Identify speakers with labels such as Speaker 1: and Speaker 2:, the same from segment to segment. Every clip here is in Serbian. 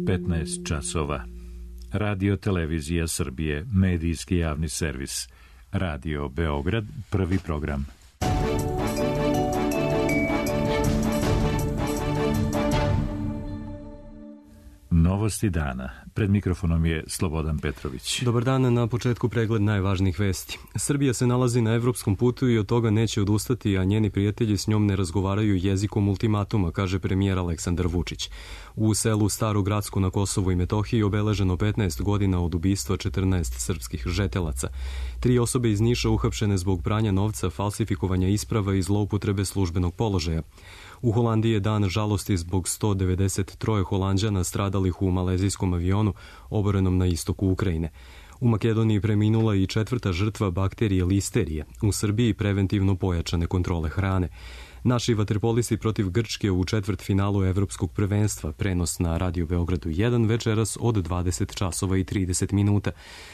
Speaker 1: 15 časova. Radio Televizija Srbije, medijski javni servis. Radio Beograd, prvi program. Novosti dana. Pred mikrofonom je Slobodan Petrović.
Speaker 2: Dobar dan, na početku pregled najvažnijih vesti. Srbija se nalazi na evropskom putu i od toga neće odustati, a njeni prijatelji s njom ne razgovaraju jezikom ultimatuma, kaže premijer Aleksandar Vučić. U selu Staru Gracku na Kosovu i Metohiji obeleženo 15 godina od ubistva 14 srpskih žetelaca. 3 osobe iz Niša uhapšene zbog pranja novca, falsifikovanja isprava i zloupotrebe službenog položaja. U Holandiji je dan žalosti zbog 193 Holanđana stradalih u malezijskom avionu oborenom na istoku Ukrajine. U Makedoniji preminula i 4. žrtva bakterije listerije. U Srbiji preventivno pojačane kontrole hrane. Naši vaterpolisti protiv Grčke u četvrtfinalu evropskog prvenstva, prenos na Radio Beogradu 1 večeras od 20 časova i 30 minuta.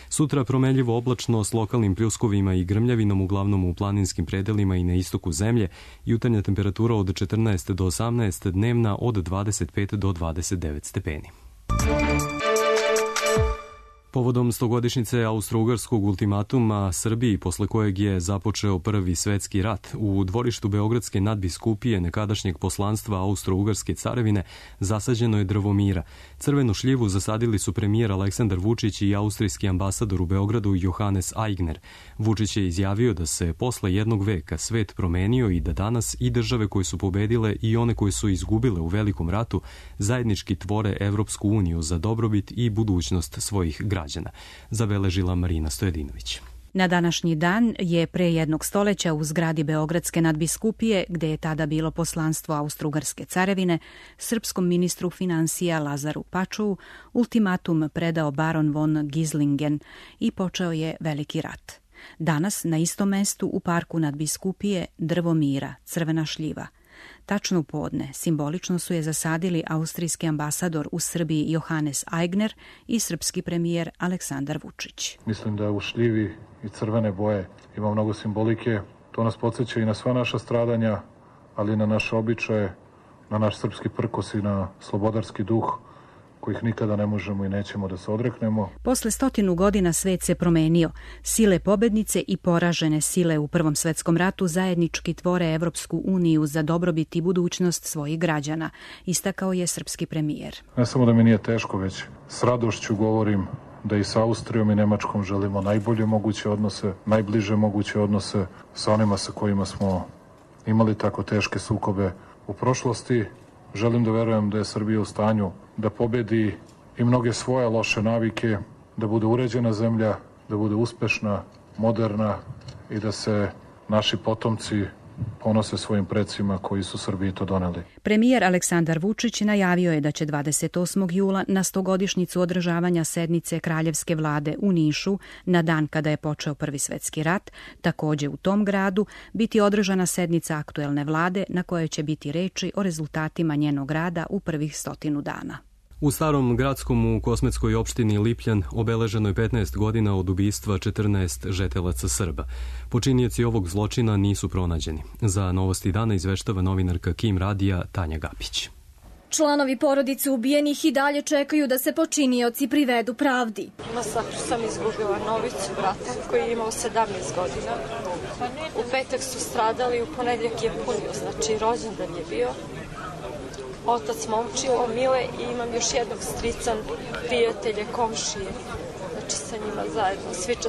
Speaker 2: Sutra promenljivo oblačno s lokalnim pljuskovima i grmljavinom, uglavnom u planinskim predelima i na istoku zemlje, jutarnja temperatura od 14 do 18, dnevna od 25 do 29 stepeni. Povodom 100-godišnjice austro-ugarskog ultimatuma Srbiji, posle kojeg je započeo Prvi svetski rat, u dvorištu Beogradske nadbiskupije nekadašnjeg poslanstva Austro-ugarske carevine zasađeno je drvo mira. Crvenu šljivu zasadili su premijer Aleksandar Vučić i austrijski ambasador u Beogradu Johannes Aigner. Vučić je izjavio da se posle jednog veka svet promenio i da danas i države koje su pobedile i one koje su izgubile u Velikom ratu zajednički tvore Evropsku uniju za dobrobit i budućnost svojih građana, zabeležila Marina Stojadinović.
Speaker 3: Na današnji dan je pre jednog stoleća u zgradi Beogradske nadbiskupije, gde je tada bilo poslanstvo Austro-ugarske carevine, srpskom ministru finansija Lazaru Pačovu ultimatum predao baron von Gislingen i počeo je Veliki rat. Danas na istom mestu u parku nadbiskupije drvo mira, crvena šljiva. Tačno u podne simbolično su je zasadili austrijski ambasador u Srbiji Johannes Aigner i srpski premijer Aleksandar Vučić.
Speaker 4: Mislim da u šljivi i crvene boje ima mnogo simbolike. To nas podsjeća i na sva naša stradanja, ali i na naše običaje, na naš srpski prkos i na slobodarski duh, kojih nikada ne možemo i nećemo da se odreknemo.
Speaker 3: Posle 100 godina svet se promenio. Sile pobednice i poražene sile u Prvom svetskom ratu zajednički tvore Evropsku uniju za dobrobit i budućnost svojih građana, istakao je srpski premijer.
Speaker 4: Ne samo da mi nije teško, već s radošću govorim da i sa Austrijom i Nemačkom želimo najbolje moguće odnose, najbliže moguće odnose sa onima sa kojima smo imali tako teške sukobe u prošlosti. Želim da verujem da je Srbija u stanju da pobedi i mnoge svoje loše navike, da bude uređena zemlja, da bude uspešna, moderna i da se naši potomci ponose svojim precima koji su Srbiji to doneli.
Speaker 3: Premijer Aleksandar Vučić najavio je da će 28. jula na 100-godišnjicu održavanja sednice Kraljevske vlade u Nišu, na dan kada je počeo Prvi svetski rat, takođe u tom gradu, biti održana sednica aktuelne vlade na kojoj će biti reči o rezultatima njenog rada u prvih 100 dana.
Speaker 2: U Starom Gradskom u Kosmetskoj opštini Lipljan obeleženo je 15 godina od ubistva 14 žetelaca Srba. Počinioci ovog zločina nisu pronađeni. Za Novosti dana izveštava novinarka Kim Radija Tanja Gapić.
Speaker 5: Članovi porodice ubijenih i dalje čekaju da se počinioci privedu pravdi.
Speaker 6: Na sakru sam izgubila Novicu, brata, koji je imao 17 godina. U petak su stradali, u ponedjeljak je punio, znači rođendan je bio. Otac momčilo, Mile, i imam još jednog strica, prijatelje, komšije. Znači sa njima zajedno, svi 14.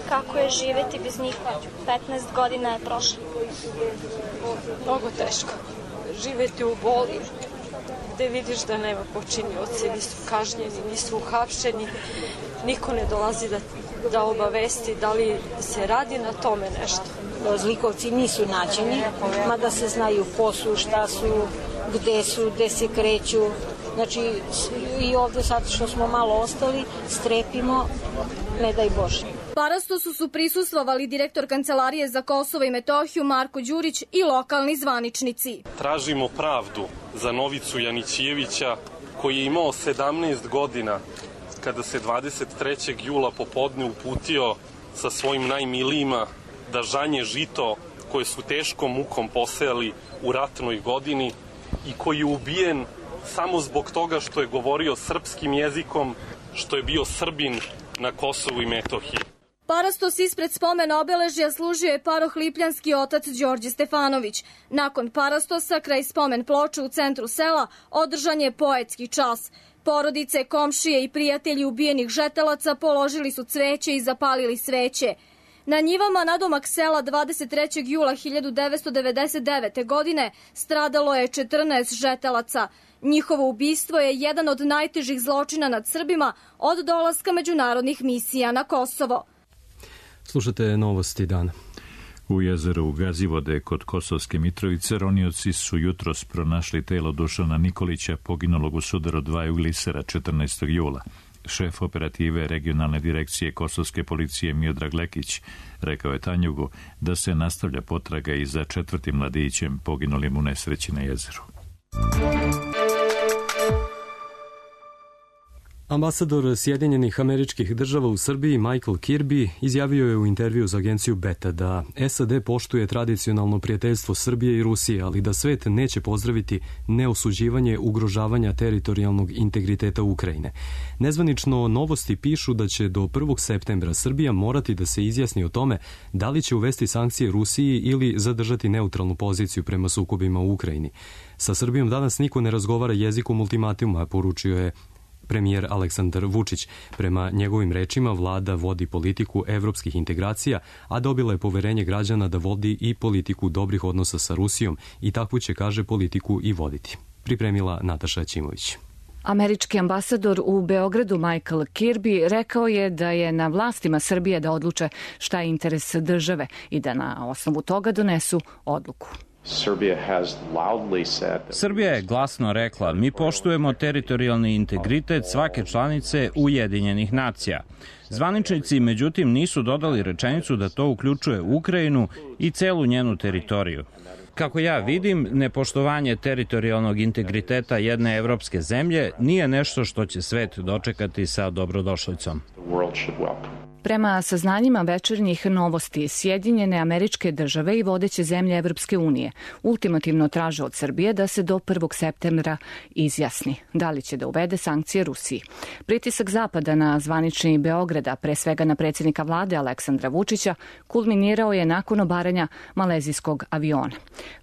Speaker 7: Kako je živeti bez njih? 15 godina je prošlo.
Speaker 6: Mnogo teško. Živeti u boli, gde vidiš da nema počinioci, nisu kažnjeni, nisu uhapšeni, niko ne dolazi da obavesti da li se radi na tome nešto.
Speaker 8: Zlikovci nisu nađeni, mada se znaju ko su, šta su, gde se kreću. Znači i ovde sad što smo malo ostali, strepimo, ne daj Bože.
Speaker 5: Parastosu su prisustvovali direktor Kancelarije za Kosovo i Metohiju Marko Đurić i lokalni zvaničnici.
Speaker 9: Tražimo pravdu za Novicu Janićijevića, koji je imao 17 godina kada se 23. jula popodne uputio sa svojim najmilijima da žanje žito koje su teškom mukom posejali u ratnoj godini i koji je ubijen samo zbog toga što je govorio srpskim jezikom, što je bio Srbin na Kosovu i Metohiji.
Speaker 5: Parastos ispred spomen obeležja služio je paroh lipljanski otac Đorđe Stefanović. Nakon parastosa, kraj spomen ploče u centru sela, održan je poetski čas. Porodice, komšije i prijatelji ubijenih žetelaca položili su cveće i zapalili sveće. Na njivama nadomak sela 23. jula 1999. godine stradalo je 14 žetelaca. Njihovo ubistvo je jedan od najtežih zločina nad Srbima od dolaska međunarodnih misija na Kosovo.
Speaker 2: Slušate novosti dana.
Speaker 1: U jezeru Gazivode kod Kosovske Mitrovice ronioci su jutros pronašli telo Dušana Nikolića, poginulog u sudaru dvaju glisera 14. jula. Šef operative regionalne direkcije Kosovske policije Miodrag Lekić rekao je Tanjugu da se nastavlja potraga i za 4. mladićem poginulim u nesreći na jezeru.
Speaker 2: Ambasador Sjedinjenih Američkih Država u Srbiji Michael Kirby izjavio je u intervju za agenciju Beta da SAD poštuje tradicionalno prijateljstvo Srbije i Rusije, ali da svet neće pozdraviti neosuđivanje ugrožavanja teritorijalnog integriteta Ukrajine. Nezvanično Novosti pišu da će do 1. septembra Srbija morati da se izjasni o tome da li će uvesti sankcije Rusiji ili zadržati neutralnu poziciju prema sukobima u Ukrajini. Sa Srbijom danas niko ne razgovara jezikom ultimatuma, poručio je premijer Aleksandar Vučić. Prema njegovim rečima, vlada vodi politiku evropskih integracija, a dobila je poverenje građana da vodi i politiku dobrih odnosa sa Rusijom i takvu će, kaže, politiku i voditi. Pripremila Nataša Ćimović.
Speaker 10: Američki ambasador u Beogradu Michael Kirby rekao je da je na vlastima Srbije da odluče šta je interes države i da na osnovu toga donesu odluku.
Speaker 11: Srbija je glasno rekla: mi poštujemo teritorijalni integritet svake članice Ujedinjenih nacija. Zvaničnici, međutim, nisu dodali rečenicu da to uključuje Ukrajinu i celu njenu teritoriju. Kako ja vidim, nepoštovanje teritorijalnog integriteta jedne evropske zemlje nije nešto što će svet dočekati sa dobrodošlicom.
Speaker 10: Prema saznanjima večernjih Novosti, Sjedinjene Američke Države i vodeće zemlje Evropske unije ultimativno traže od Srbije da se do 1. septembra izjasni da li će da uvede sankcije Rusiji. Pritisak Zapada na zvanični Beograda, pre svega na predsjednika vlade Aleksandra Vučića, kulminirao je nakon obaranja malezijskog aviona.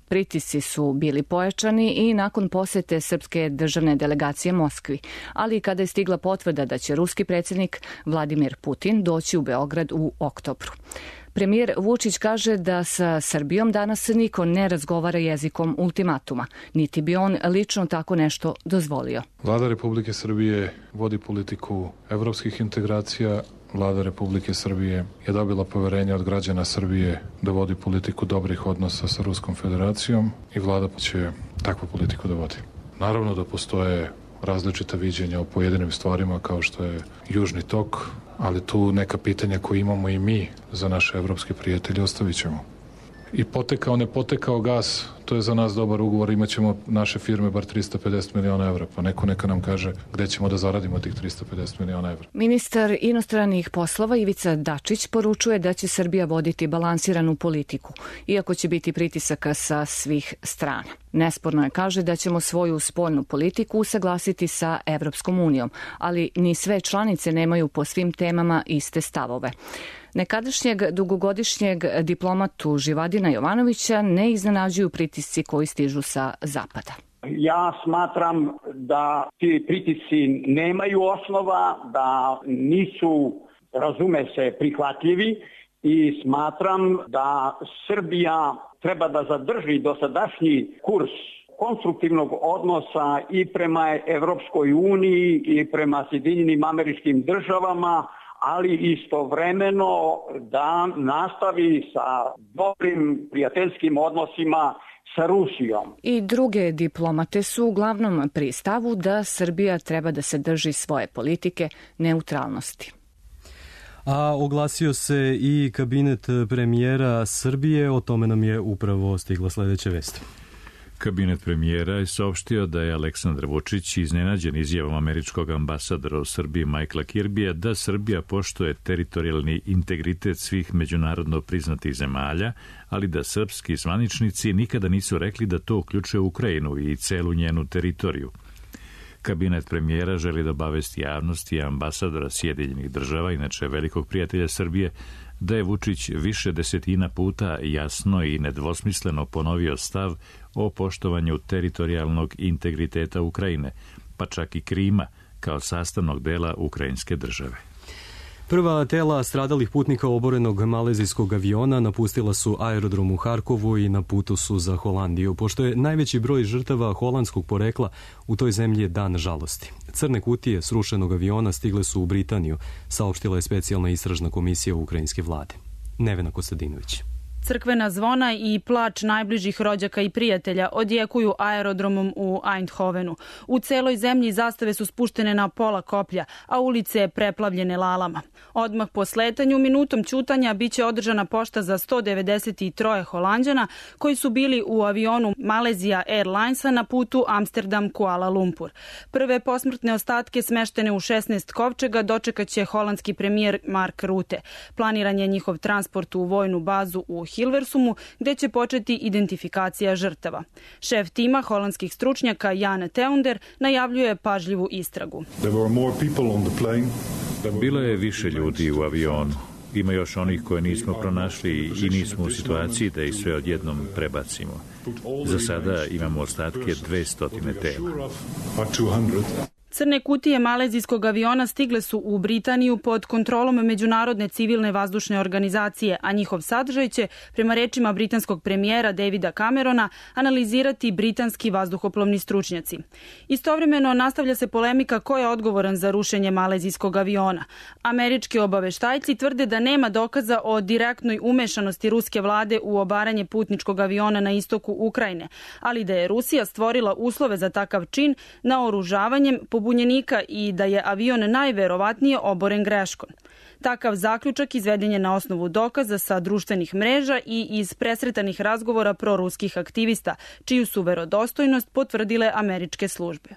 Speaker 10: Pritisci su bili pojačani i nakon posete srpske državne delegacije Moskvi, ali i kada je stigla potvrda da će ruski predsjednik Vladimir Putin doći u Beograd u oktobru. Premijer Vučić kaže da sa Srbijom danas niko ne razgovara jezikom ultimatuma, niti bi on lično tako nešto dozvolio.
Speaker 4: Vlada Republike Srbije vodi politiku evropskih integracija. Vlada Republike Srbije je dobila poverenje od građana Srbije da vodi politiku dobrih odnosa sa Ruskom federacijom i vlada će takvu politiku da vodi. Naravno da postoje različita viđenja o pojedinim stvarima kao što je Južni tok, ali tu neka pitanja koje imamo i mi za naše evropske prijatelje ostavit ćemo. I potekao, ne potekao gas, to je za nas dobar ugovor, imat ćemo naše firme bar 350 miliona evra, pa neko neka nam kaže gde ćemo da zaradimo tih 350 miliona evra.
Speaker 10: Ministar inostranih poslova Ivica Dačić poručuje da će Srbija voditi balansiranu politiku, iako će biti pritisaka sa svih strana. Nesporno je, kaže, da ćemo svoju spoljnu politiku usaglasiti sa Evropskom unijom, ali ni sve članice nemaju po svim temama iste stavove. Nekadašnjeg dugogodišnjeg diplomatu Živadina Jovanovića ne iznenađuju pritisci koji stižu sa zapada.
Speaker 12: Ja smatram da ti pritisci nemaju osnova, da nisu, razume se, prihvatljivi i smatram da Srbija treba da zadrži dosadašnji kurs konstruktivnog odnosa i prema Evropskoj uniji i prema Sjedinjenim Američkim Državama, ali istovremeno da nastavi sa dobrim prijateljskim odnosima sa Rusijom.
Speaker 10: I druge diplomate su uglavnom pri stavu da Srbija treba da se drži svoje politike neutralnosti.
Speaker 2: A oglasio se i kabinet premijera Srbije, o tome nam je upravo stigla sledeća vest.
Speaker 1: Kabinet premijera je saopštio da je Aleksandar Vučić iznenađen izjavom američkog ambasadora u Srbiji Michaela Kirbija da Srbija poštuje teritorijalni integritet svih međunarodno priznatih zemalja, ali da srpski zvaničnici nikada nisu rekli da to uključuje Ukrajinu i celu njenu teritoriju. Kabinet premijera želi da obavesti javnost i ambasadora Sjedinjenih država, inače velikog prijatelja Srbije, da je Vučić više desetina puta jasno i nedvosmisleno ponovio stav o poštovanju teritorijalnog integriteta Ukrajine, pa čak i Krima, kao sastavnog dela ukrajinske države.
Speaker 2: Prva tela stradalih putnika oborenog malezijskog aviona napustila su aerodrom u Harkovu i na putu su za Holandiju, pošto je najveći broj žrtava holandskog porekla, u toj zemlji je dan žalosti. Crne kutije srušenog aviona stigle su u Britaniju, saopštila je specijalna istražna komisija ukrajinske vlade. Nevena Kostadinović.
Speaker 13: Crkvena zvona i plač najbližih rođaka i prijatelja odjekuju aerodromom u Eindhovenu. U celoj zemlji zastave su spuštene na pola koplja, a ulice preplavljene lalama. Odmah po sletanju, minutom ćutanja, biće održana pošta za 193 Holanđana koji su bili u avionu Malaysia Airlinesa na putu Amsterdam-Kuala Lumpur. Prve posmrtne ostatke smeštene u 16 kovčega dočekaće holandski premijer Mark Rutte. Planiran je njihov transport u vojnu bazu u Hilversumu, gde će početi identifikacija žrtava. Šef tima holandskih stručnjaka Jan Teunder najavljuje pažljivu istragu.
Speaker 1: Bilo je više ljudi u avionu. Ima još onih koje nismo pronašli i nismo u situaciji da ih sve odjednom prebacimo. Za sada imamo ostatke 200 tela.
Speaker 13: Crne kutije malezijskog aviona stigle su u Britaniju pod kontrolom Međunarodne civilne vazdušne organizacije, a njihov sadržaj će, prema rečima britanskog premijera Davida Camerona, analizirati britanski vazduhoplovni stručnjaci. Istovremeno nastavlja se polemika ko je odgovoran za rušenje malezijskog aviona. Američki obaveštajci tvrde da nema dokaza o direktnoj umešanosti ruske vlade u obaranje putničkog aviona na istoku Ukrajine, ali da je Rusija stvorila uslove za takav čin naoružavanjem pobunjenika i da je avion najverovatnije oboren greškom. Takav zaključak izveden je na osnovu dokaza sa društvenih mreža i iz presretanih razgovora proruskih aktivista, čiju su verodostojnost potvrdile američke službe.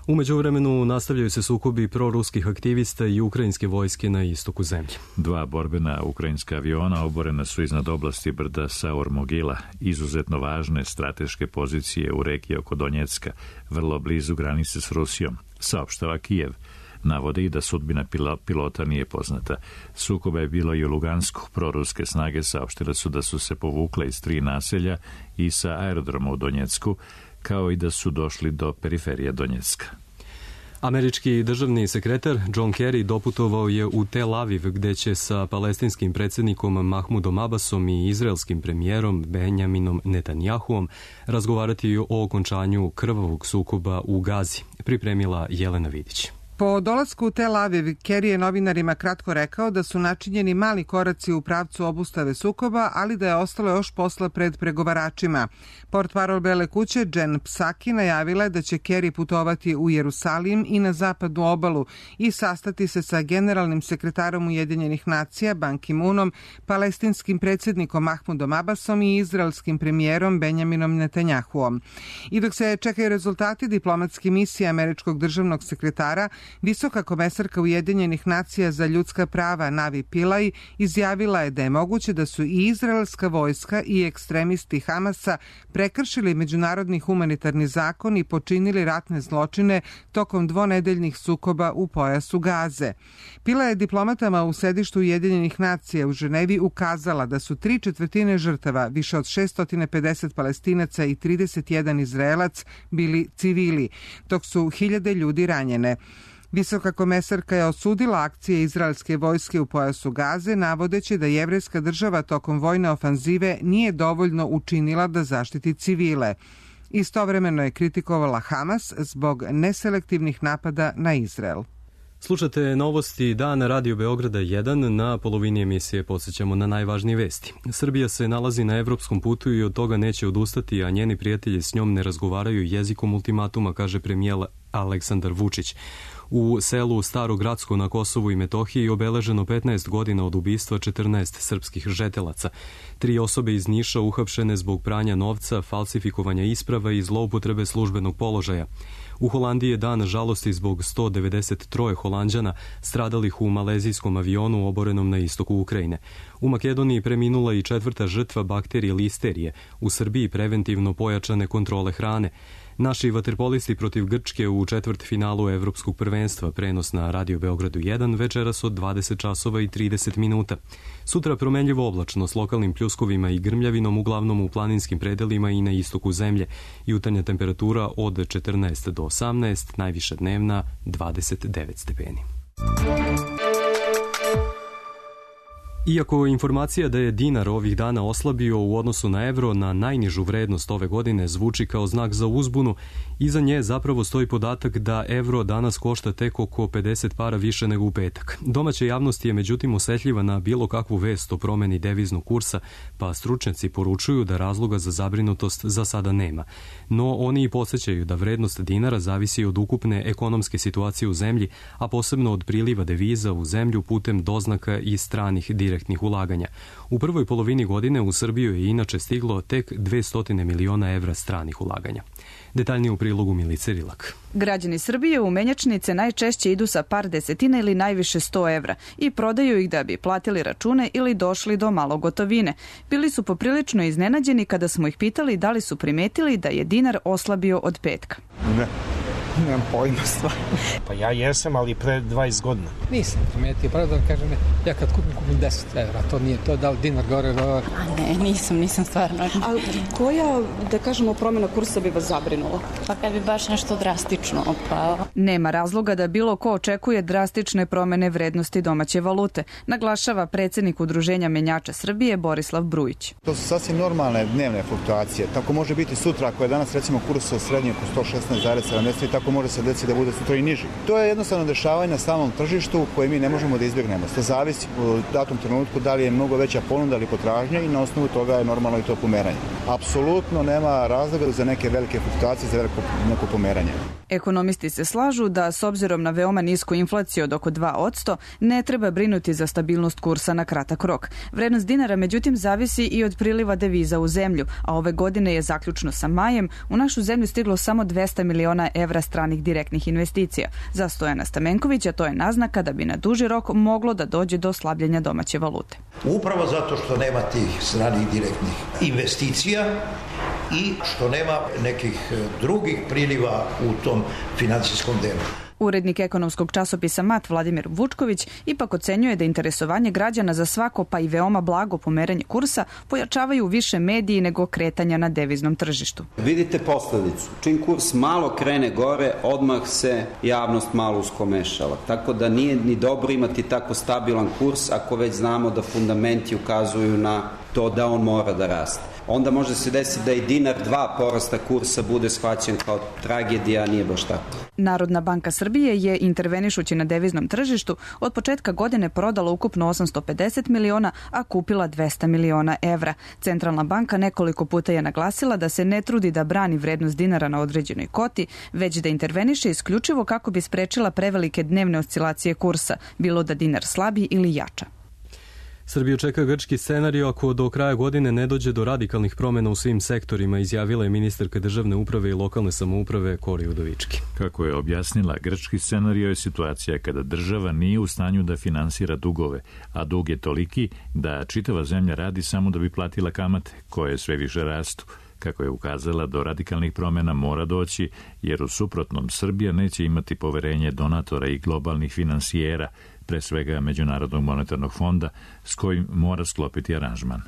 Speaker 2: U međuvremenu nastavljaju se sukobi proruskih aktivista i ukrajinske vojske na istoku zemlje.
Speaker 1: 2 borbena ukrajinska aviona oborena su iznad oblasti brda Saur-Mogila, izuzetno važne strateške pozicije u regiji oko Donjecka, vrlo blizu granice s Rusijom, saopštava Kijev. Navode i da sudbina pilota nije poznata. Sukoba je bilo i u Lugansku. Proruske snage saopštile su da su se povukle iz 3 naselja i sa aerodroma u Donjecku, kao i da su došli do periferije Donjecka.
Speaker 2: Američki državni sekretar John Kerry doputovao je u Tel Aviv, gde će sa palestinskim predsjednikom Mahmudom Abbasom i izraelskim premijerom Benjaminom Netanjahuom razgovarati o okončanju krvavog sukoba u Gazi, pripremila Jelena Vidić.
Speaker 14: Po dolasku u Tel Aviv, Kerry je novinarima kratko rekao da su načinjeni mali koraci u pravcu obustave sukoba, ali da je ostalo još posla pred pregovaračima. Portparol Bele kuće Jen Psaki najavila je da će Kerry putovati u Jerusalim i na zapadnu obalu i sastati se sa generalnim sekretarom Ujedinjenih nacija Ban Ki-moonom, palestinskim predsjednikom Mahmudom Abbasom i izraelskim premijerom Benjaminom Netanjahuom. I dok se čekaju rezultati diplomatske misije američkog državnog sekretara, visoka komesarka Ujedinjenih nacija za ljudska prava Navi Pillay izjavila je da je moguće da su i izraelska vojska i ekstremisti Hamasa prekršili međunarodni humanitarni zakon i počinili ratne zločine tokom dvonedeljnih sukoba u pojasu Gaze. Pillay je diplomatama u sedištu Ujedinjenih nacija u Ženevi ukazala da su 3/4 žrtava, više od 650 Palestinaca i 31 Izraelac, bili civili, dok su hiljade ljudi ranjene. Visoka komesarka je osudila akcije izraelske vojske u pojasu Gaze, navodeći da jevrejska država tokom vojne ofanzive nije dovoljno učinila da zaštiti civile. Istovremeno je kritikovala Hamas zbog neselektivnih napada na Izrael.
Speaker 2: Slušate novosti dana Radio Beograda 1. Na polovini emisije podsjećamo na najvažnije vesti. Srbija se nalazi na evropskom putu i od toga neće odustati, a njeni prijatelji s njom ne razgovaraju jezikom ultimatuma, kaže premijer Aleksandar Vučić. U selu Staro Gradsko na Kosovu i Metohiji obeleženo 15 godina od ubistva 14 srpskih žetelaca. 3 osobe iz Niša uhapšene zbog pranja novca, falsifikovanja isprava i zloupotrebe službenog položaja. U Holandiji je dan žalosti zbog 193 Holanđana stradalih u malezijskom avionu oborenom na istoku Ukrajine. U Makedoniji preminula i 4. žrtva bakterije listerije. U Srbiji preventivno pojačane kontrole hrane. Naši vaterpolisti protiv Grčke u četvrtfinalu Evropskog prvenstva, prenos na Radio Beogradu 1, večeras od 20 časova i 30 minuta. Sutra promenljivo oblačno s lokalnim pljuskovima i grmljavinom, uglavnom u planinskim predelima i na istoku zemlje. Jutarnja temperatura od 14 do 18, najviša dnevna 29 stepeni. Iako informacija da je dinar ovih dana oslabio u odnosu na evro na najnižu vrednost ove godine zvuči kao znak za uzbunu, iza nje zapravo stoji podatak da evro danas košta tek oko 50 para više nego u petak. Domaća javnost je međutim osetljiva na bilo kakvu vest o promeni deviznog kursa, pa stručnjaci poručuju da razloga za zabrinutost za sada nema. No oni i podsjećaju da vrednost dinara zavisi od ukupne ekonomske situacije u zemlji, a posebno od priliva deviza u zemlju putem doznaka i stranih direktnih ulaganja. U prvoj polovini godine u Srbiju je inače stiglo tek 200 miliona evra stranih ulaganja. Detaljnije u prilogu Milice Rilak.
Speaker 15: Građani Srbije u menjačnice najčešće idu sa par desetina ili najviše 100 evra i prodaju ih da bi platili račune ili došli do malo gotovine. Bili su poprilično iznenađeni kada smo ih pitali da li su primetili da je dinar oslabio od petka.
Speaker 16: Ne. Nemam pojma stvar. Pa ja jesam, ali pre 20 godina.
Speaker 17: Nisam primetio, pravo da kažem ne. Ja kad kupim 10 evra, to nije to, da li dinar gore, gore.
Speaker 18: A ne, nisam stvarno.
Speaker 19: A koja, da kažemo, promjena kursa bi vas zabrinula?
Speaker 18: Pa kad bi baš nešto drastično opao.
Speaker 15: Nema razloga da bilo ko očekuje drastične promene vrednosti domaće valute, naglašava predsjednik Udruženja menjača Srbije Borislav Brujić.
Speaker 20: To su sasvim normalne dnevne fluktuacije. Tako može biti sutra, ako je danas recimo kurs srednji oko 116,70, tako može se desiti da bude sutra i niži. To je jednostavno dešavanje na stalnom tržištu koje mi ne možemo da izbjegnemo. To zavisi u datom trenutku da li je mnogo veća ponuda ili potražnja i na osnovu toga je normalno i to pomeranje. Apsolutno nema razloga za neke velike fluktuacije, za neko pomeranje.
Speaker 15: Ekonomisti se slažu da s obzirom na veoma nisku inflaciju od oko 2%, ne treba brinuti za stabilnost kursa na kratak rok. Vrednost dinara međutim zavisi i od priliva deviza u zemlju, a ove godine je zaključno sa majem u našu zemlju stiglo samo 200 miliona evra stranih direktnih investicija. Za Stojana Stamenkovića to je naznaka da bi na duži rok moglo da dođe do slabljenja domaće valute.
Speaker 21: Upravo zato što nema tih stranih direktnih investicija i što nema nekih drugih priliva u tom financijskom delu.
Speaker 15: Urednik ekonomskog časopisa MAT Vladimir Vučković ipak ocenjuje da interesovanje građana za svako pa i veoma blago pomeranje kursa pojačavaju više mediji nego kretanja na deviznom tržištu.
Speaker 22: Vidite posledicu. Čim kurs malo krene gore, odmah se javnost malo uskomešala. Tako da nije ni dobro imati tako stabilan kurs ako već znamo da fundamenti ukazuju na to da on mora da raste. Onda može se desiti da i dinar 2 porasta kursa bude shvaćen kao tragedija, a nije baš tako.
Speaker 15: Narodna banka Srbije je, intervenišući na deviznom tržištu, od početka godine prodala ukupno 850 miliona, a kupila 200 miliona evra. Centralna banka nekoliko puta je naglasila da se ne trudi da brani vrednost dinara na određenoj koti, već da interveniše isključivo kako bi sprečila prevelike dnevne oscilacije kursa, bilo da dinar slabi ili jača.
Speaker 2: Srbiju čeka grčki scenario ako do kraja godine ne dođe do radikalnih promjena u svim sektorima, izjavila je ministarka državne uprave i lokalne samouprave Kori Udovički.
Speaker 1: Kako je objasnila, grčki scenario je situacija kada država nije u stanju da finansira dugove, a dug je toliki da čitava zemlja radi samo da bi platila kamate, koje sve više rastu. Kako je ukazala, do radikalnih promjena mora doći, jer u suprotnom Srbija neće imati poverenje donatora i globalnih finansijera, pre svega Međunarodnog monetarnog fonda, s kojim mora sklopiti aranžman.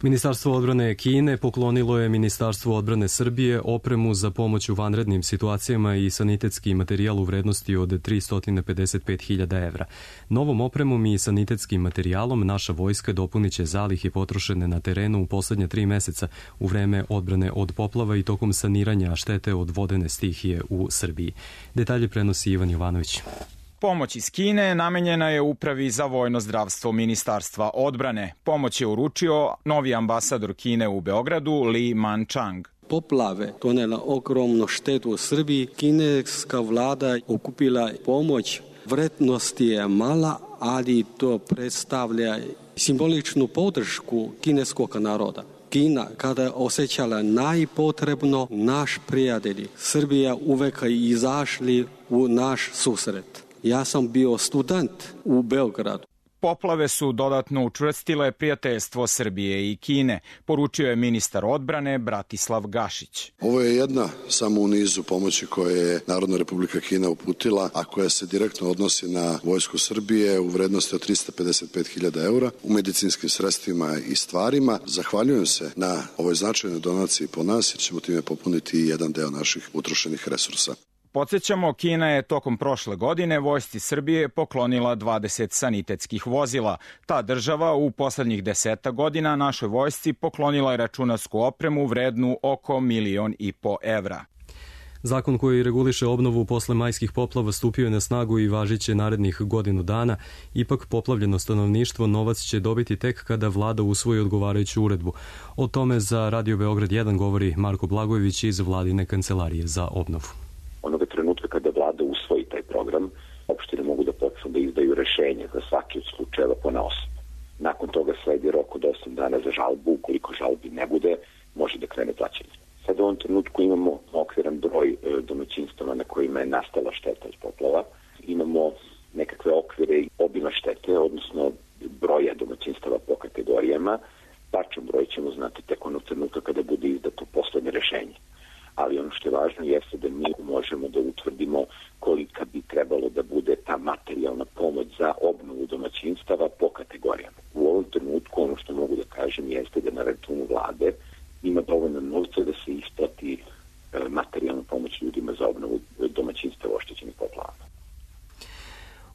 Speaker 2: Ministarstvo odbrane Kine poklonilo je Ministarstvu odbrane Srbije opremu za pomoć u vanrednim situacijama i sanitetski materijal u vrednosti od 355.000 evra. Novom opremom i sanitetskim materijalom naša vojska dopunit će zalihe potrošene na terenu u poslednje 3 meseca u vreme odbrane od poplava i tokom saniranja štete od vodene stihije u Srbiji. Detalje prenosi Ivan Jovanović.
Speaker 23: Pomoć iz Kine namenjena je Upravi za vojno zdravstvo Ministarstva odbrane. Pomoć je uručio novi ambasador Kine u Beogradu Li Manchang.
Speaker 24: Poplave donela ogromnu štetu u Srbiji. Kineska vlada okupila pomoć. Vrednost je mala, ali to predstavlja simboličnu podršku kineskog naroda. Kina, kada je osjećala najpotrebno, naš prijatelji Srbija uvek izašli u naš susret. Ja sam bio student u Beogradu.
Speaker 23: Poplave su dodatno učvrstile prijateljstvo Srbije i Kine, poručio je ministar odbrane Bratislav Gašić.
Speaker 3: Ovo je jedna samo u nizu pomoći koje je Narodna Republika Kina uputila, a koja se direktno odnosi na vojsku Srbije u vrednosti od 355.000 eura u medicinskim sredstvima i stvarima. Zahvaljujem se na ovoj značajnoj donaciji po nas jer ćemo time popuniti i jedan deo naših utrošenih resursa.
Speaker 23: Podsjećamo, Kina je tokom prošle godine vojsci Srbije poklonila 20 sanitetskih vozila. Ta država u poslednjih 10 godina našoj vojsci poklonila je računarsku opremu vrednu oko 1,5 miliona evra.
Speaker 2: Zakon koji reguliše obnovu posle majskih poplava stupio je na snagu i važiće narednih godinu dana. Ipak poplavljeno stanovništvo novac će dobiti tek kada vlada usvoji odgovarajuću uredbu. O tome za Radio Beograd 1 govori Marko Blagojević iz vladine kancelarije za obnovu.
Speaker 6: Onoga trenutka kada vlada usvoji taj program, opštine mogu da počnu da izdaju rešenje za svaki od slučajeva ponaosob. Nakon toga sledi rok od 8 dana za žalbu. Ukoliko žalbi ne bude, može da krene plaćanje. Sad u ovom trenutku imamo okviran broj domaćinstava na kojima je nastala šteta od poplava. Imamo nekakve okvire i obima štete, odnosno broja domaćinstava po kategorijama. Tačan broj ćemo znati tek onog trenutka kada bude izdato poslednje rešenje. Ali ono što je važno jeste da mi možemo da utvrdimo kolika bi trebalo da bude ta materijalna pomoć za obnovu domaćinstava po kategorijama. U ovom trenutku ono što mogu da kažem jeste da na računu vlade ima dovoljno novca da se isplati materijalna pomoć ljudima za obnovu domaćinstava oštećenih poplavama.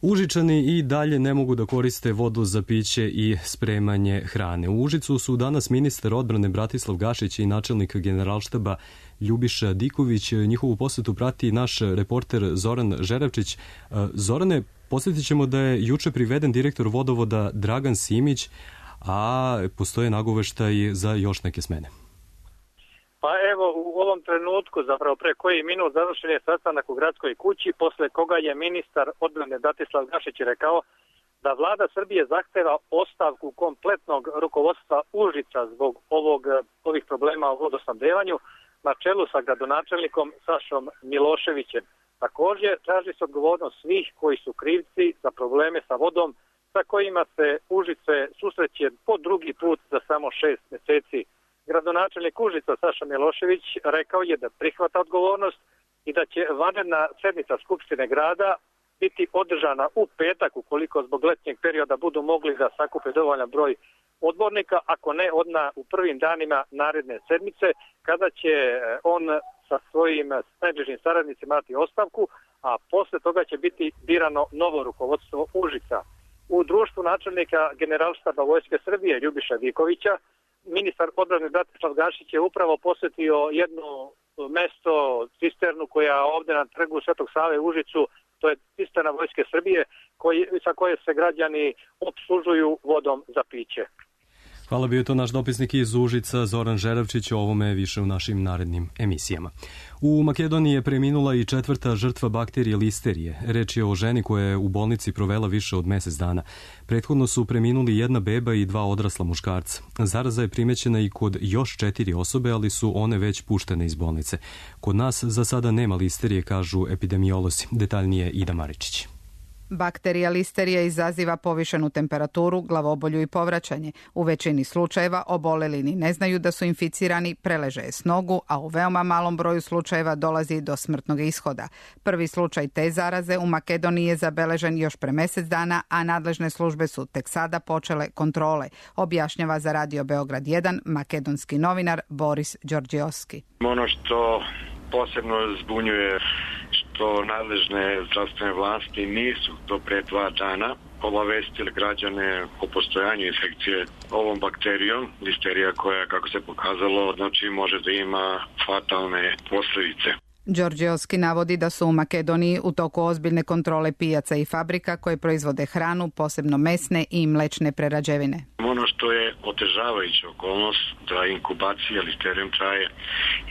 Speaker 2: Užičani i dalje ne mogu da koriste vodu za piće i spremanje hrane. U Užicu su danas ministar odbrane Bratislav Gašić i načelnik Generalštaba Ljubiša Diković. Njihovu posetu prati naš reporter Zoran Žerevčić. Zorane, posjetit ćemo da je juče priveden direktor vodovoda Dragan Simić, a postoje nagoveštaj za još neke smene.
Speaker 7: Pa evo, u ovom trenutku, zapravo pre koji minut, završen je sastanak u gradskoj kući, posle koga je ministar odbrane Bratislav Gašić rekao da vlada Srbije zahteva ostavku kompletnog rukovodstva Užica zbog ovih problema o vodosnabdevanju na čelu sa gradonačelnikom Sašom Miloševićem. Također, traži se odgovornost svih koji su krivci za probleme sa vodom sa kojima se Užice susreće po drugi put za samo 6 meseci. Gradonačelnik Užica Saša Milošević rekao je da prihvata odgovornost i da će vanredna sednica Skupštine grada biti održana u petak ukoliko zbog letnjeg perioda budu mogli da sakupe dovoljan broj odbornika, ako ne odmah u prvim danima naredne sedmice kada će on sa svojim najbližim saradnicima dati ostavku, a posle toga će biti birano novo rukovodstvo Užica. U društvu načelnika Generalštaba Vojske Srbije Ljubiša Dikovića ministar odbrane Bratislav Gašić je upravo posjetio jedno mesto, cisternu koja ovde na trgu Svetog Save u Užicu, to je cisterna Vojske Srbije sa koje se građani opslužuju vodom za piće.
Speaker 2: Hvala, bio je to naš dopisnik iz Užica Zoran Žerevčić, o ovome više u našim narednim emisijama. U Makedoniji je preminula i 4. žrtva bakterije listerije. Reč je o ženi koja je u bolnici provela više od mesec dana. Prethodno su preminuli 1 beba i 2 odrasla muškarca. Zaraza je primećena i kod još 4 osobe, ali su one već puštene iz bolnice. Kod nas za sada nema listerije, kažu epidemiolozi. Detaljnije Ida Maričić.
Speaker 8: Bakterija listerija izaziva povišenu temperaturu, glavobolju i povraćanje. U većini slučajeva oboleli ni ne znaju da su inficirani, preleže je s nogu, a u veoma malom broju slučajeva dolazi do smrtnog ishoda. Prvi slučaj te zaraze u Makedoniji je zabeležen još pre mesec dana, a nadležne službe su tek sada počele kontrole, objašnjava za Radio Beograd 1 makedonski novinar Boris Đorđeovski.
Speaker 25: Ono što posebno zbunjuje što nadležne zdravstvene vlasti nisu do pre 2 dana obavestili građane o postojanju infekcije ovom bakterijom, listerija koja, kako se pokazalo, znači može da ima fatalne posledice.
Speaker 8: Đorđeovski navodi da su u Makedoniji u toku ozbiljne kontrole pijaca i fabrika koje proizvode hranu, posebno mesne i mlečne prerađevine.
Speaker 25: Ono što je otežavajuća okolnost da inkubacija listerijom traje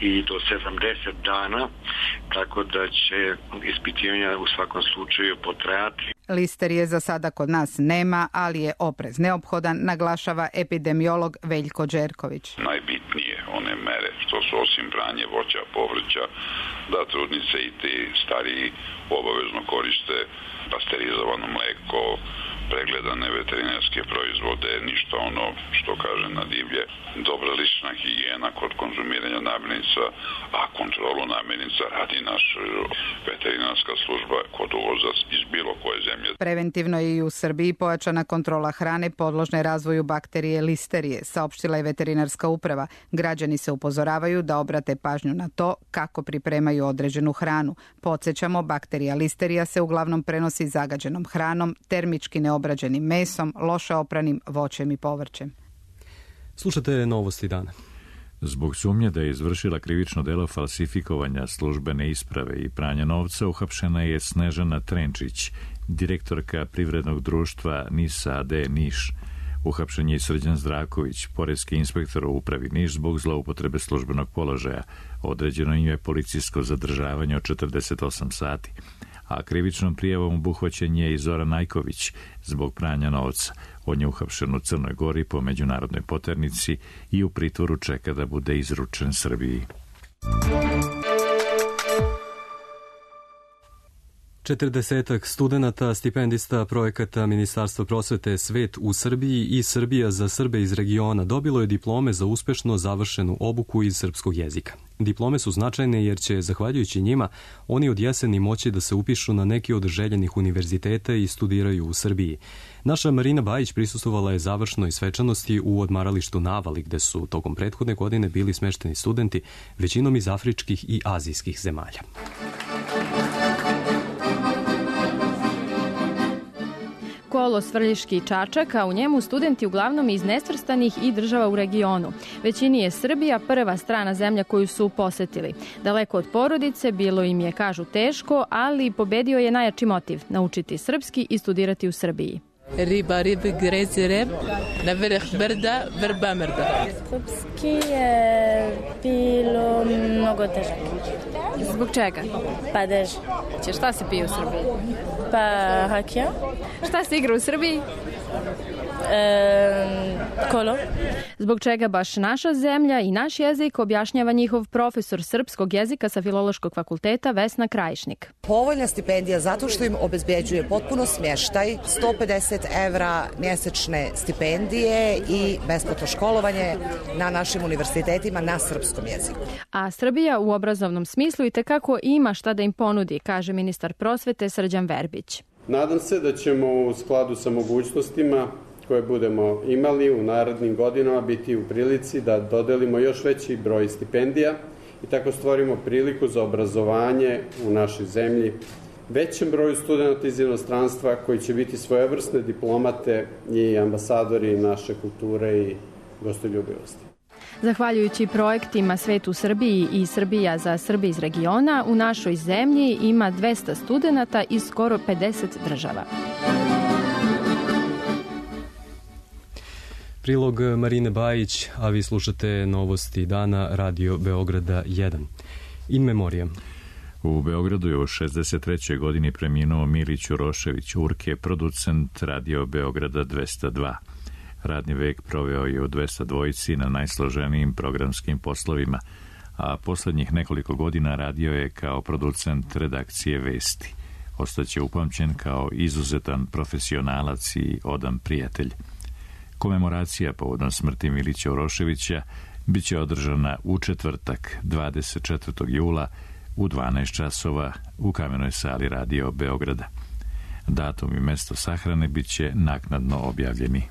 Speaker 25: i do 70 dana, tako da će ispitivanja u svakom slučaju potrajati.
Speaker 8: Listerije za sada kod nas nema, ali je oprez neophodan, naglašava epidemiolog Veljko Đerković.
Speaker 26: Najbitnije one mere što su osim branje voća, povrća, da trudnice i ti stariji obavezno koriste pasterizovano mleko, pregledane veterinarske proizvode, ništa ono što kaže na divlje. Dobra lična higijena kod konzumiranja namirnica, a kontrolu namirnica radi naša veterinarska služba kod uvoza iz bilo koje zemlje.
Speaker 8: Preventivno je i u Srbiji pojačana kontrola hrane podložne razvoju bakterije listerije, saopštila je veterinarska uprava. Građani se upozoravaju da obrate pažnju na to kako pripremaju određenu hranu. Podsjećamo, bakterija listerija se uglavnom prenosi zagađenom hranom, termički neobrađenim mesom, loše opranim voćem i povrćem.
Speaker 2: Slušate novosti dana.
Speaker 1: Zbog sumnje da je izvršila krivično delo falsifikovanja službene isprave i pranja novca, uhapšena je Snežana Trenčić, direktorka privrednog društva NIS AD Niš. Uhapšen je i Srđan Zdraković, poreski inspektor u upravi Niš zbog zloupotrebe službenog položaja. Određeno im je policijsko zadržavanje od 48 sati. A krivičnom prijavom obuhvaćen je i Zoran Najković zbog pranja novca. On je uhapšen u Crnoj Gori po međunarodnoj poternici i u pritvoru čeka da bude izručen Srbiji.
Speaker 2: 40 studenata, stipendista projekata Ministarstva prosvete Svet u Srbiji i Srbija za Srbe iz regiona dobilo je diplome za uspešno završenu obuku iz srpskog jezika. Diplome su značajne jer će, zahvaljujući njima, oni od jeseni moći da se upišu na neki od željenih univerziteta i studiraju u Srbiji. Naša Marina Bajić prisustvovala je završnoj svečanosti u odmaralištu Navali, gde su tokom prethodne godine bili smešteni studenti, većinom iz afričkih i azijskih zemalja.
Speaker 4: Kolo Svrljiški Čačak, a u njemu studenti uglavnom iz nesvrstanih i država u regionu. Većini je Srbija prva strana zemlja koju su posetili. Daleko od porodice, bilo im je, kažu, teško, ali pobedio je najjači motiv – naučiti srpski i studirati u Srbiji.
Speaker 5: Riba, grezi rep, na vrh brda, vrba mrda.
Speaker 9: Srpski je bilo mnogo težak.
Speaker 4: Zbog čega?
Speaker 9: Pa dež.
Speaker 4: Šta se pije u Srbiji?
Speaker 9: Pa hakija.
Speaker 4: Šta se igra u Srbiji?
Speaker 9: Kolo.
Speaker 4: Zbog čega baš naša zemlja i naš jezik, objašnjava njihov profesor srpskog jezika sa Filološkog fakulteta Vesna Krajišnik.
Speaker 10: Povoljna stipendija zato što im obezbeđuje potpuno smještaj, 150 evra mjesečne stipendije i besplatno školovanje na našim univerzitetima na srpskom jeziku.
Speaker 4: A Srbija u obrazovnom smislu i tekako ima šta da im ponudi, kaže ministar prosvete Srđan Verbić.
Speaker 11: Nadam se da ćemo u skladu sa mogućnostima koje budemo imali u narednim godinama biti u prilici da dodelimo još veći broj stipendija i tako stvorimo priliku za obrazovanje u našoj zemlji većem broju studenta iz inostranstva koji će biti svojevrsne diplomate i ambasadori naše kulture i gostoljubivosti.
Speaker 4: Zahvaljujući projektima Svet u Srbiji i Srbija za Srbe iz regiona, u našoj zemlji ima 200 studenata iz skoro 50 država.
Speaker 2: Prilog Marine Bajić, a vi slušate novosti dana Radio Beograda 1. In memoriam.
Speaker 1: U Beogradu je u 63. godini preminuo Milić Urošević Urke, producent Radio Beograda 202. Radni vek proveo je u 202 na najsloženijim programskim poslovima, a poslednjih nekoliko godina radio je kao producent redakcije Vesti. Ostaće upamćen kao izuzetan profesionalac i odan prijatelj. Komemoracija povodom smrti Milića Uroševića biće održana u četvrtak, 24. jula u 12 časova u Kamenoj sali Radio Beograda. Datum i mesto sahrane biće naknadno objavljeni.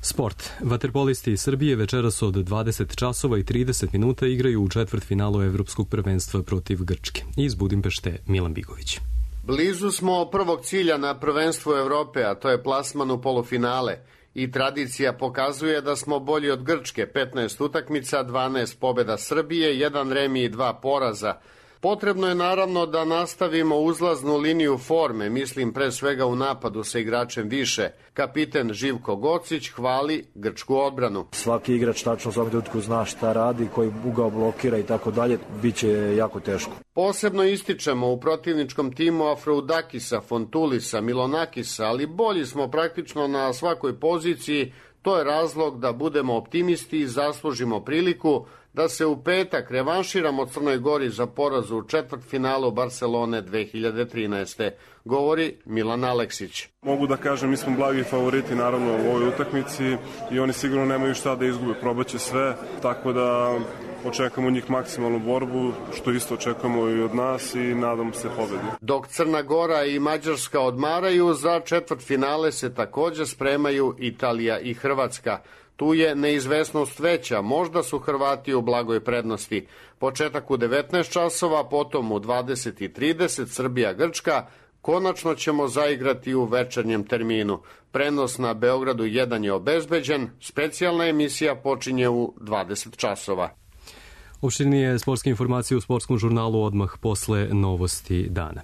Speaker 2: Sport. Vaterpolisti iz Srbije večeras od 20 časova i 30 minuta igraju u četvrtfinalu Evropskog prvenstva protiv Grčke. Iz Budimpešte Milan Bigović.
Speaker 12: Blizu smo prvog cilja na prvenstvu Evrope, a to je plasman u polufinale. I tradicija pokazuje da smo bolji od Grčke, 15 utakmica, 12 pobjeda Srbije, 1 remi i 2 poraza. Potrebno je naravno da nastavimo uzlaznu liniju forme, mislim pre svega u napadu sa igračem više. Kapiten Živko Gocić hvali grčku odbranu.
Speaker 27: Svaki igrač tačno u svakom trenutku zna šta radi, koji ugao blokira i tako dalje, bit će jako teško.
Speaker 12: Posebno ističemo u protivničkom timu Afrodakisa, Fontulisa, Milonakisa, ali bolji smo praktično na svakoj poziciji. To je razlog da budemo optimisti i zaslužimo priliku da se u petak revanširamo Crnoj Gori za poraz u četvrtfinalu Barcelone 2013. Govori Milan Aleksić.
Speaker 13: Mogu da kažem, mi smo blagi favoriti naravno u ovoj utakmici i oni sigurno nemaju šta da izgube, probaće sve, tako da očekujemo od njih maksimalnu borbu, što isto očekujemo i od nas i nadamo se pobedi.
Speaker 12: Dok Crna Gora i Mađarska odmaraju, za četvrtfinale se također spremaju Italija i Hrvatska. Tu je neizvesnost veća, možda su Hrvati u blagoj prednosti. Početak u 19 časova, potom u 20:30 Srbija-Grčka. Konačno ćemo zaigrati u večernjem terminu. Prenos na Beogradu 1 je obezbeđen, specijalna emisija počinje u 20 časova.
Speaker 2: Opširnije sportske informacije u sportskom žurnalu odmah posle novosti dana.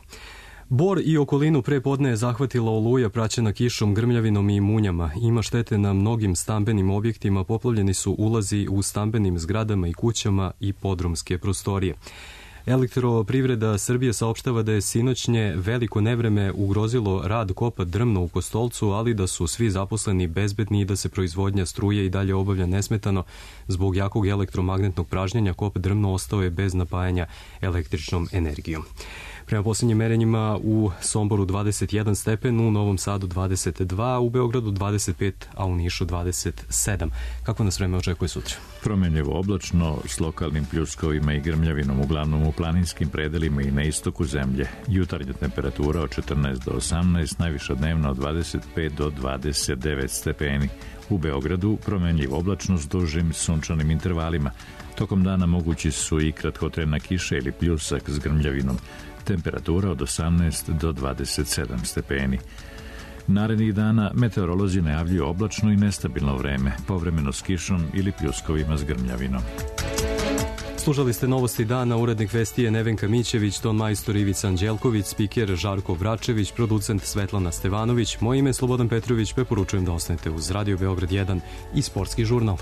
Speaker 2: Bor i okolinu pre podne je zahvatila oluja praćena kišom, grmljavinom i munjama. Ima štete na mnogim stambenim objektima, poplavljeni su ulazi u stambenim zgradama i kućama i podrumske prostorije. Elektroprivreda Srbije saopštava da je sinoćnje veliko nevreme ugrozilo rad kopa Drmno u Kostolcu, ali da su svi zaposleni bezbedni i da se proizvodnja struje i dalje obavlja nesmetano. Zbog jakog elektromagnetnog pražnjenja kop Drmno ostao je bez napajanja električnom energijom. Prema posljednjim merenjima u Somboru 21 stepen, u Novom Sadu 22, u Beogradu 25, a u Nišu 27. Kako nas vreme očekuje sutra?
Speaker 1: Promenljivo oblačno s lokalnim pljuskovima i grmljavinom, uglavnom u planinskim predelima i na istoku zemlje. Jutarnja temperatura od 14 do 18, najviša dnevna od 25 do 29 stepeni. U Beogradu promenljivo oblačno s dužim sunčanim intervalima. Tokom dana mogući su i kratkotrajna kiša ili pljusak s grmljavinom. Temperatura od 18 do 27 stepeni. Narednih dana meteorolozi najavljuju oblačno i nestabilno vreme, povremeno s kišom ili pljuskovima s grmljavinom.
Speaker 2: Slušali ste novosti dana, urednik vesti je Nevenka Mićević, ton majstor Ivica Anđelković, spiker Žarko Vračević, producent Svetlana Stevanović. Moje ime je Slobodan Petrović, preporučujem da ostanete uz Radio Beograd 1 i Sportski žurnal.